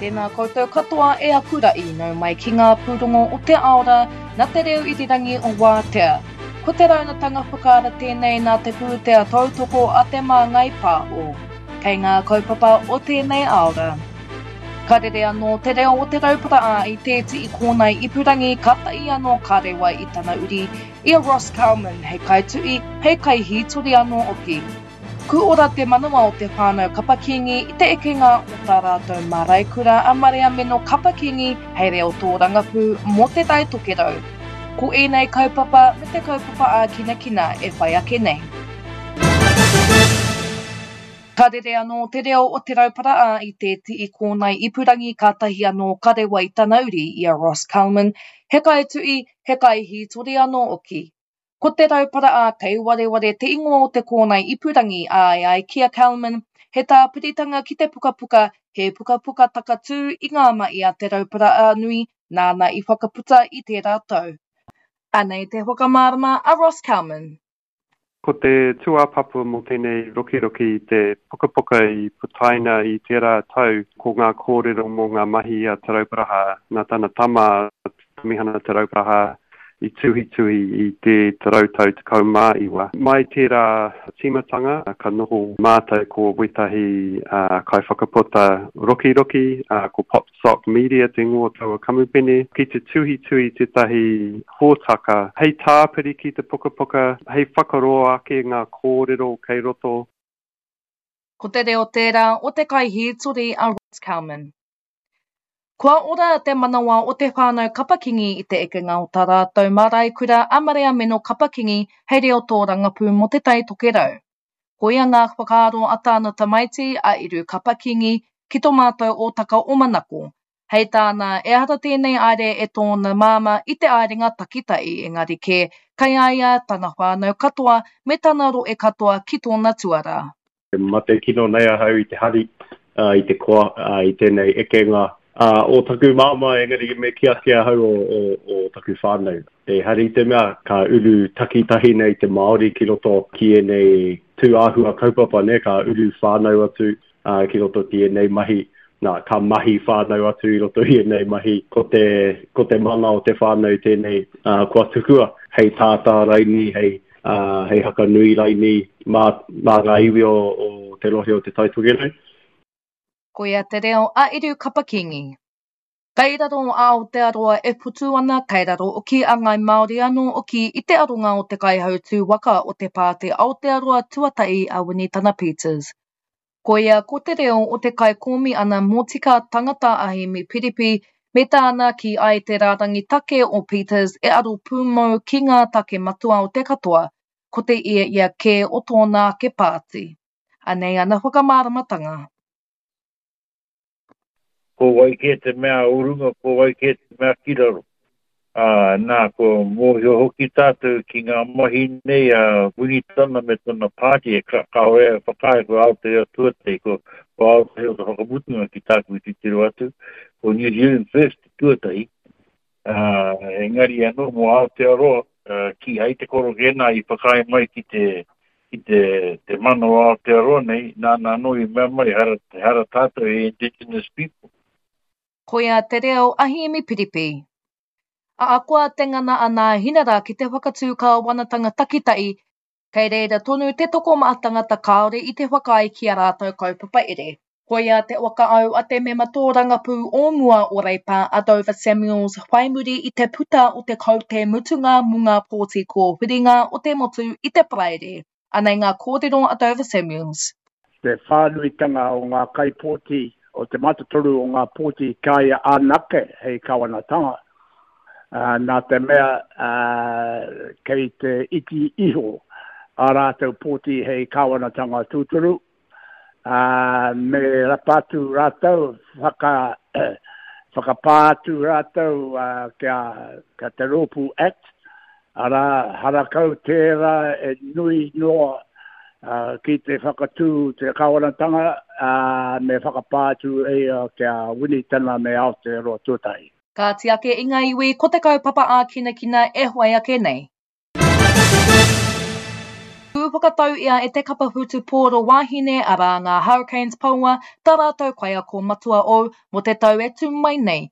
Tēnā koutou katoa e aku ra'i, nau mai ki ngā pūrongo o te aora na te reo irirangi o Wātea. Ko te raunatanga whakaara tēnei nā te pūtea tautoko a Te Māngai Pāho. Kei ngā kaupapa o tēnei aora. Ka rere anō te reo o Te Rauparaha i tēti i kōnae ipurangi katahi anō ka rewa i tana uri, i a Ross Calman hei kaituhi, hei kaihītori anō hoki. Ku ora te manawa o te whānau Kapa Kingi i te ekenga o tā rātou māraikura a Mariameno Kapa Kingi hei reo tōrangapū mō Te Tai Tokerau. Ko ēnei kaupapa me te kaupapa ākinakina e whai ake nei. Ka rere anō te reo o Te Rauparaha i te tii kōnae ipurangi kātahi anō ka rewa i tana uri i a Ross Calman, he kaituhi, he kaihītori anō hoki. Ko Te Rauparaha kei wareware te ingoa o te kōnae ipurangi ā e ai ki a Kelman, he tāpiritanga ki te pukapuka, he pukapuka takatū i ngā mahi a Te Rauparaha nui nāna i whakaputa i tērā tau. Anei te whakamārama a Ross Kelman. Ko te tūāpapa mō tēnei rokiroki i te pukapuka i putaina i tērā tau ko ngā kōrero mō ngā mahi a Te Rauparaha nā tana tama Tamihana Te Rauparaha i tuhituhi i te rautau 19. Mai tērā tīmatanga, ka noho mātou ko wētahi kaiwhakaputa rokiroki, ko Popsock Media te ingoa o taua kamupene, ki te tuhituhi tētahi hōtaka hei tāpiri ki te pukapuka, hei whakaroa ake ngā kōrero kei roto. Ko te reo tērā o te kaihītori a Ross Calman. Kua ora te manawa o te whānau Kapa-Kingi i te ekenga o tā rātou marae-kura a Mariameno Kapa-Kingi hei reo tōrangapū mō Te Tai Tokerau. Koia ngā whakaaro a tāna tamaiti, a Eru Kapa-Kingi, ki tō mātou ōtaka o Manako. Hei tāna, ehara tēnei aere e tōna māmā i te aerenga takitahi engari kē, kei a ia tana whānau katoa me tana rohe katoa ki tōna tuarā. E mate kino nei ahau i te hari, i te koa, i tēnei ekenga o taku māmā, engari me kī ake ahau o taku whānau. Ehara i te mea ka uru takitahi nei te Māori ki roto ki ēnei tū āhua kaupapa, nē, ka uru whānau atu ki roto ki ēnei mahi, nā, ka mahi whānau atu i roto i ēnei mahi, ko te, ko te mana o te whānau tēnei kua tukua hei tātā raini, hei ā, hei haka nui raini mā, mā ngā iwi o, o te rohe o Te Tai Tokerau. Koia te reo a Eru Kapa-Kingi. Kei raro a Aotearoa e putu ana, kei raro oki a Ngāi Māori anō oki i te aronga o te kaihautū waka o te Pāti Aotearoa Tuatahi a Winitana Peters. Koia ko te reo o te kaikōmihana motika tangata a Hēmi Piripi me tāna kī ai te rārangi take o Peters e aro pūmau ki ngā take matua o te katoa, ko te ia ia kē o tōna ake pāti. Anei ana whakamāramatanga. Ko wai kē te mea o runga, ko wai kē te mea ki raro. Ā, nā, kua mōhio hoki tātou ki ngā mahi nei a Winitana me tana pāti, e ka, kāore e whakaae ko Aotearoa tuatahi, ko, ko Aotearoa te whakamutunga ki tāku i titiro atu, ko New Zealand First te tuatahi, ā, engari anō mō Aotearoa, ā, kīhai te korokē nā i whakaae mai ki te, ki te, te mana o Aotearoa nei, nāna anō i mea mai, hara, hara tātou he indigenous people. Koia te reo a Hēmi Piripi. Ahakoa te ngana a Nāhinara ki te whakatū kāwanatanga takitahi, kei reira tonu te tokomaha tangata kāore i te whakaae ki ā rātou kaupapa here. Koia te whakaau a te mema tōrangapū o mua o Reipa a Dover Samuels whai muri i te puta o te kaute mutunga mō ngā pōti kōwhiringa o te motu i te Paraire. Anei ngā kōrero a Dover Samuels. Te whānuitanga o ngā kaipōti, o te mātotoru o ngā pōti ki a ia anake hei kāwanatanga, nā te mea kei te iti iho ā rātou pōti hei kāwanatanga tūturu, ā, me rapa atu rātou, whaka, whakapā atu rātou ki a, ki a Te Rōpū Act, arā, harakau tērā e nui noa ki te whakatū te kāwanatanga, ā, me whakapā atu e ia ki a Winitana me Aotearoa Tuatahi. Kāti ake i ngā iwi ko te kaupapa ākinakina e whai ake nei. whakatau ia e te kapa whutupōro wāhine arā ngā Hurricanes Poua tā rātou kaiako matua ou mō te tau e tū mai nei.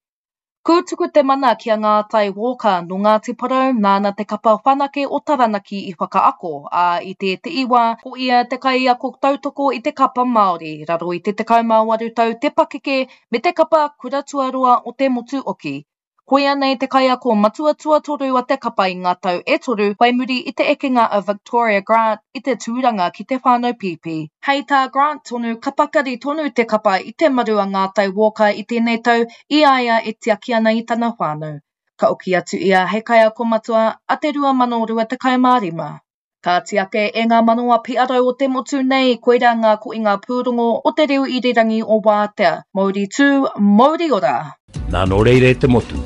Kūtuku te mana ki a Ngātai Walker nō Ngāti Porou nāna te kapa whanake o Taranaki i whakaako, ā, i tēte'i wā ko ia te kaiako tautoko i te kapa Māori raro i te 18 tau te pakeke me te kapa kura tuarua o te motu oki. Koia nei te kaiako matua tuatoru a te kapa i ngā tau e toru whai muri i te ekenga a Victoria Grant i te tūranga ki te whānau pīpī. Hei tā Grant tonu, ka pakari tonu te kapa i te maru a Ngātai Walker i tēnei tau i a ia e tiaki ana i tana whānau. Ka oki atu ia hei kaiako matua a te 2025. Kāti ake e ngā manawa piarau o te motu nei, koirā ngā koinga pūrongo o te reo irirangi o Wātea. Mouri tū, mouri ora! Nā nō reira e te motu,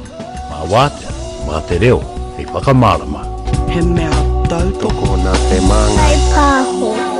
mā Wātea, mā te reo hei whakamārama. He mea tautoko nā te māngai. Pāho.